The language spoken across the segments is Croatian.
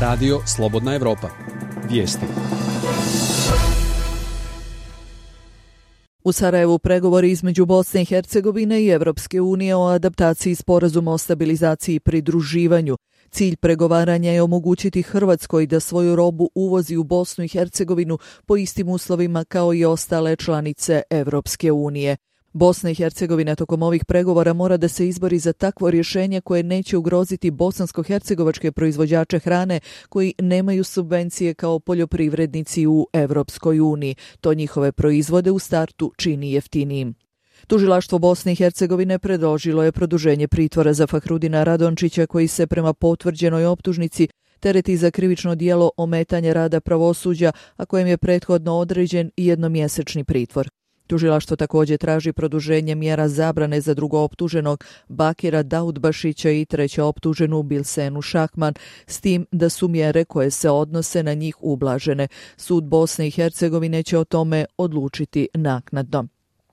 Radio Slobodna Evropa. Vijesti. U Sarajevu pregovori između Bosne i Hercegovine i Evropske unije o adaptaciji sporazuma o stabilizaciji i pridruživanju. Cilj pregovaranja je omogućiti Hrvatskoj da svoju robu uvozi u Bosnu i Hercegovinu po istim uslovima kao i ostale članice Evropske unije. Bosna i Hercegovina tokom ovih pregovora mora da se izbori za takvo rješenje koje neće ugroziti bosansko-hercegovačke proizvođače hrane koji nemaju subvencije kao poljoprivrednici u Evropskoj uniji. To njihove proizvode u startu čini jeftinijim. Tužilaštvo Bosne i Hercegovine predložilo je produženje pritvora za Fahrudina Radončića koji se prema potvrđenoj optužnici tereti za krivično djelo ometanja rada pravosuđa, a kojem je prethodno određen jednomjesečni pritvor. Tužilaštvo također traži produženje mjera zabrane za drugooptuženog Bakira Daudbašića i trećeoptuženu Bilsenu Šahman, s tim da su mjere koje se odnose na njih ublažene. Sud Bosne i Hercegovine će o tome odlučiti naknadno.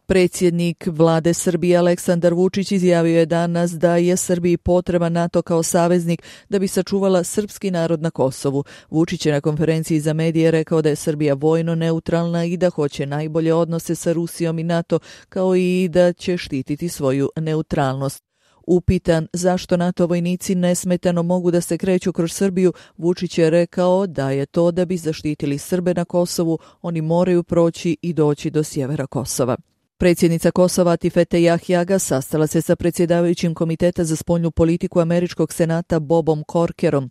Predsjednik vlade Srbije Aleksandar Vučić izjavio je danas da je Srbiji potreban NATO kao saveznik da bi sačuvala srpski narod na Kosovu. Vučić je na konferenciji za medije rekao da je Srbija vojno neutralna i da hoće najbolje odnose sa Rusijom i NATO, kao i da će štititi svoju neutralnost. Upitan zašto NATO vojnici nesmetano mogu da se kreću kroz Srbiju, Vučić je rekao da je to da bi zaštitili Srbe na Kosovu, oni moraju proći i doći do sjevera Kosova. Predsjednica Kosova Atifete Jahjaga sastala se sa predsjedavajućim Komiteta za spoljnu politiku Američkog senata Bobom Corkerom.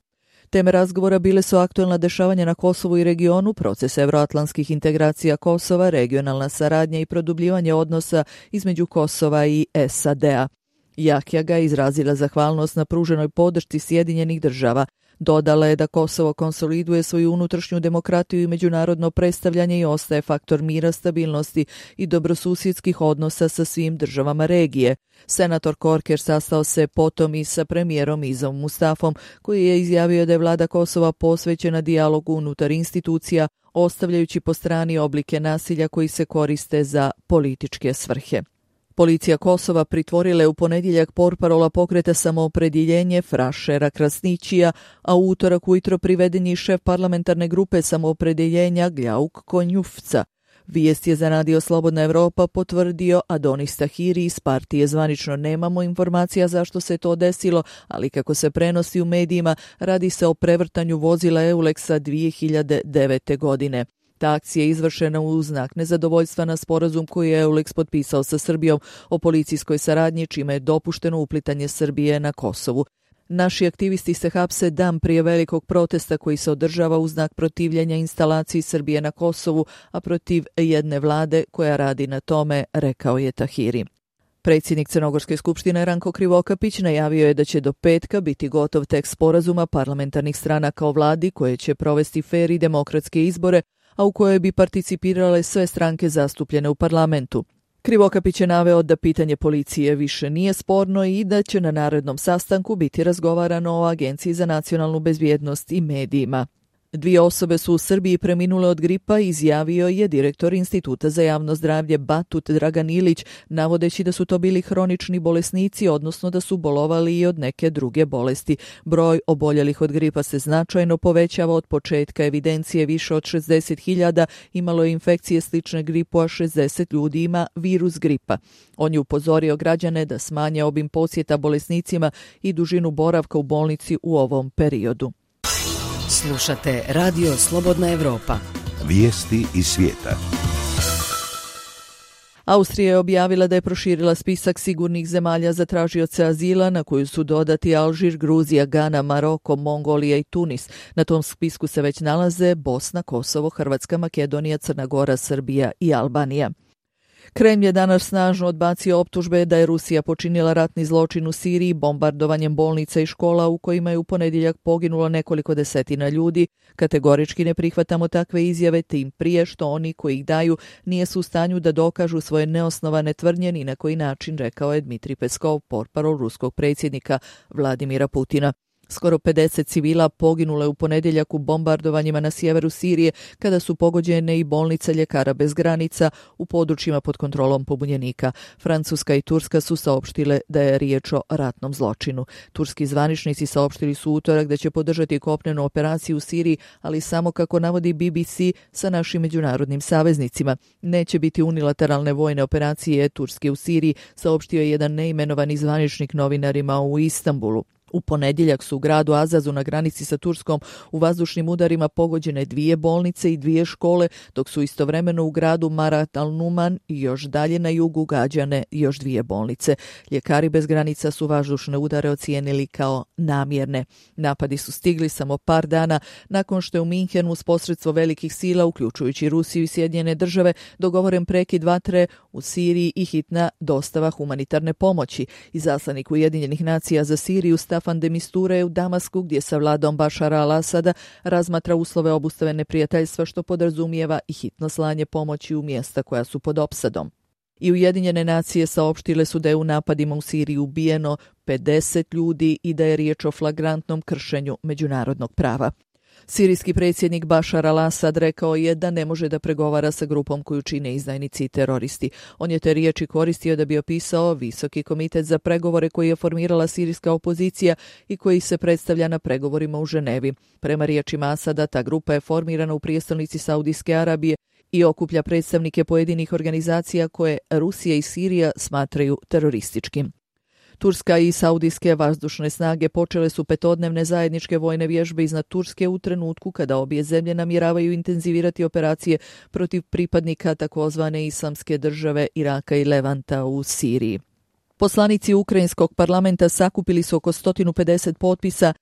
Teme razgovora bile su aktuelna dešavanja na Kosovu i regionu, proces evroatlantskih integracija Kosova, regionalna saradnja i produbljivanje odnosa između Kosova i SAD-a. Jahjaga je izrazila zahvalnost na pruženoj podršci Sjedinjenih država. Dodala je da Kosovo konsoliduje svoju unutrašnju demokratiju i međunarodno predstavljanje i ostaje faktor mira, stabilnosti i dobrosusjedskih odnosa sa svim državama regije. Senator Corker sastao se potom i sa premijerom Izom Mustafom, koji je izjavio da je vlada Kosova posvećena dijalogu unutar institucija, ostavljajući po strani oblike nasilja koji se koriste za političke svrhe. Policija Kosova pritvorila je u ponedjeljak portparola pokreta Samoopredjeljenje Frašera Krasnićija, a u utorak ujutro priveden je šef parlamentarne grupe Samoopredjeljenja Gljauk Konjufca. Vijest je za Radio Slobodna Evropa potvrdio Adonis Tahiri iz partije. Zvanično nemamo informacija zašto se to desilo, ali kako se prenosi u medijima, radi se o prevrtanju vozila Eulexa 2009. godine. Ta akcija je izvršena u znak nezadovoljstva na sporazum koji je Eulex potpisao sa Srbijom o policijskoj saradnji, čime je dopušteno uplitanje Srbije na Kosovu. Naši aktivisti se hapse dan prije velikog protesta koji se održava u znak protivljenja instalaciji Srbije na Kosovu, a protiv jedne vlade koja radi na tome, rekao je Tahiri. Predsjednik Crnogorske skupštine Ranko Krivokapić najavio je da će do petka biti gotov tekst sporazuma parlamentarnih stranaka o vladi koje će provesti fer i demokratske izbore, a u kojoj bi participirale sve stranke zastupljene u parlamentu. Krivokapić je naveo da pitanje policije više nije sporno i da će na narednom sastanku biti razgovarano o Agenciji za nacionalnu bezbjednost i medijima. 2 osobe su u Srbiji preminule od gripa, izjavio je direktor Instituta za javno zdravlje Batut Dragan Ilić, navodeći da su to bili hronični bolesnici, odnosno da su bolovali i od neke druge bolesti. Broj oboljelih od gripa se značajno povećava od početka evidencije. Više od 60.000 imalo je infekcije slične gripu, a 60 ljudi ima virus gripa. On je upozorio građane da smanje obim posjeta bolesnicima i dužinu boravka u bolnici u ovom periodu. Slušate Radio Slobodna Evropa. Vijesti iz svijeta. Austrija je objavila da je proširila spisak sigurnih zemalja za tražioce azila, na koju su dodati Alžir, Gruzija, Gana, Maroko, Mongolija i Tunis. Na tom spisku se već nalaze Bosna, Kosovo, Hrvatska, Makedonija, Crna Gora, Srbija i Albanija. Kremlj je danas snažno odbacio optužbe da je Rusija počinila ratni zločin u Siriji bombardovanjem bolnica i škola u kojima je u ponedjeljak poginulo nekoliko desetina ljudi. Kategorički ne prihvatamo takve izjave, tim prije što oni koji ih daju nisu u stanju da dokažu svoje neosnovane tvrdnje ni na koji način, rekao je Dmitrij Peskov, portparol ruskog predsjednika Vladimira Putina. Skoro 50 civila poginulo je u ponedjeljak u bombardovanjima na sjeveru Sirije kada su pogođene i bolnice Ljekara bez granica u područjima pod kontrolom pobunjenika. Francuska i Turska su saopštile da je riječ o ratnom zločinu. Turski zvaničnici saopštili su utorak da će podržati kopnenu operaciju u Siriji, ali samo kako navodi BBC sa našim međunarodnim saveznicima. Neće biti unilateralne vojne operacije Turske u Siriji, saopštio je jedan neimenovani zvaničnik novinarima u Istanbulu. U ponedjeljak su u gradu Azazu na granici sa Turskom u vazdušnim udarima pogođene 2 bolnice i 2 škole, dok su istovremeno u gradu Marat al-Numan i još dalje na jugu gađane još 2 bolnice. Ljekari bez granica su vazdušne udare ocijenili kao namjerne. Napadi su stigli samo par dana nakon što je u Minhenu uz posredstvo velikih sila, uključujući Rusiju i Sjedinjene države, dogovoren prekid vatre u Siriji i hitna dostava humanitarne pomoći. Izaslanik Ujedinjenih nacija za Siriju Staffan de Mistura je u Damasku, gdje sa vladom Bašara al-Asada razmatra uslove obustave neprijateljstva, što podrazumijeva i hitno slanje pomoći u mjesta koja su pod opsadom. I Ujedinjene nacije saopštile su da je u napadima u Siriji ubijeno 50 ljudi i da je riječ o flagrantnom kršenju međunarodnog prava. Sirijski predsjednik Bašar al-Asad rekao je da ne može da pregovara sa grupom koju čine izdajnici i teroristi. On je te riječi koristio da bi opisao Visoki komitet za pregovore koji je formirala sirijska opozicija i koji se predstavlja na pregovorima u Ženevi. Prema riječima Asada, ta grupa je formirana u prijestolnici Saudijske Arabije i okuplja predstavnike pojedinih organizacija koje Rusija i Sirija smatraju terorističkim. Turska i saudijske vazdušne snage počele su 5-dnevne zajedničke vojne vježbe iznad Turske u trenutku kada obje zemlje namjeravaju intenzivirati operacije protiv pripadnika takozvane islamske države Iraka i Levanta u Siriji. Poslanici ukrajinskog parlamenta sakupili su oko 150 potpisa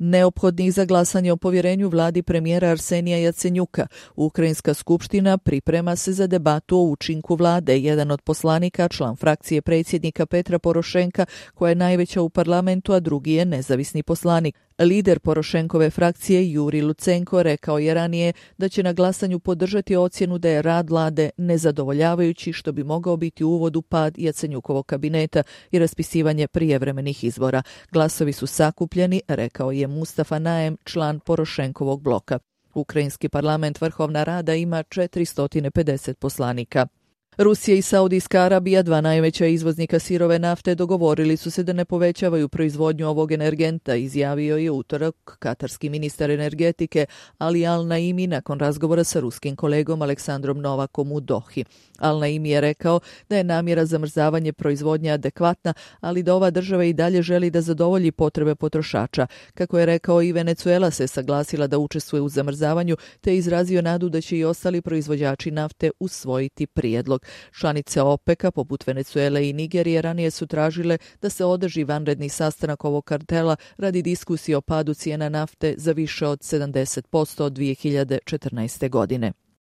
neophodnih za glasanje o povjerenju vladi premijera Arsenija Jacenjuka. Ukrajinska skupština priprema se za debatu o učinku vlade. Jedan od poslanika, član frakcije predsjednika Petra Porošenka, koja je najveća u parlamentu, a drugi je nezavisni poslanik. Lider Porošenkove frakcije Juri Lucenko rekao je ranije da će na glasanju podržati ocjenu da je rad vlade nezadovoljavajući, što bi mogao biti uvod u pad Jacenjukovog kabineta i raspisivanje prijevremenih izbora. Glasovi su sakupljeni, rekao je Mustafa Najem, član Porošenkovog bloka. Ukrajinski parlament Vrhovna Rada ima 450 poslanika. Rusija i Saudijska Arabija, 2 najveća izvoznika sirove nafte, dogovorili su se da ne povećavaju proizvodnju ovog energenta, izjavio je utorak katarski ministar energetike Ali Al-Naimi nakon razgovora sa ruskim kolegom Aleksandrom Novakom u Dohi. Al-Naimi je rekao da je namjera zamrzavanje proizvodnje adekvatna, ali da ova država i dalje želi da zadovolji potrebe potrošača. Kako je rekao, i Venezuela se saglasila da učestvuje u zamrzavanju, te je izrazio nadu da će i ostali proizvođači nafte usvojiti prijedlog. Članice OPEC-a, poput Venezuele i Nigerije, ranije su tražile da se održi vanredni sastanak ovog kartela radi diskusije o padu cijena nafte za više od 70% od 2014. godine.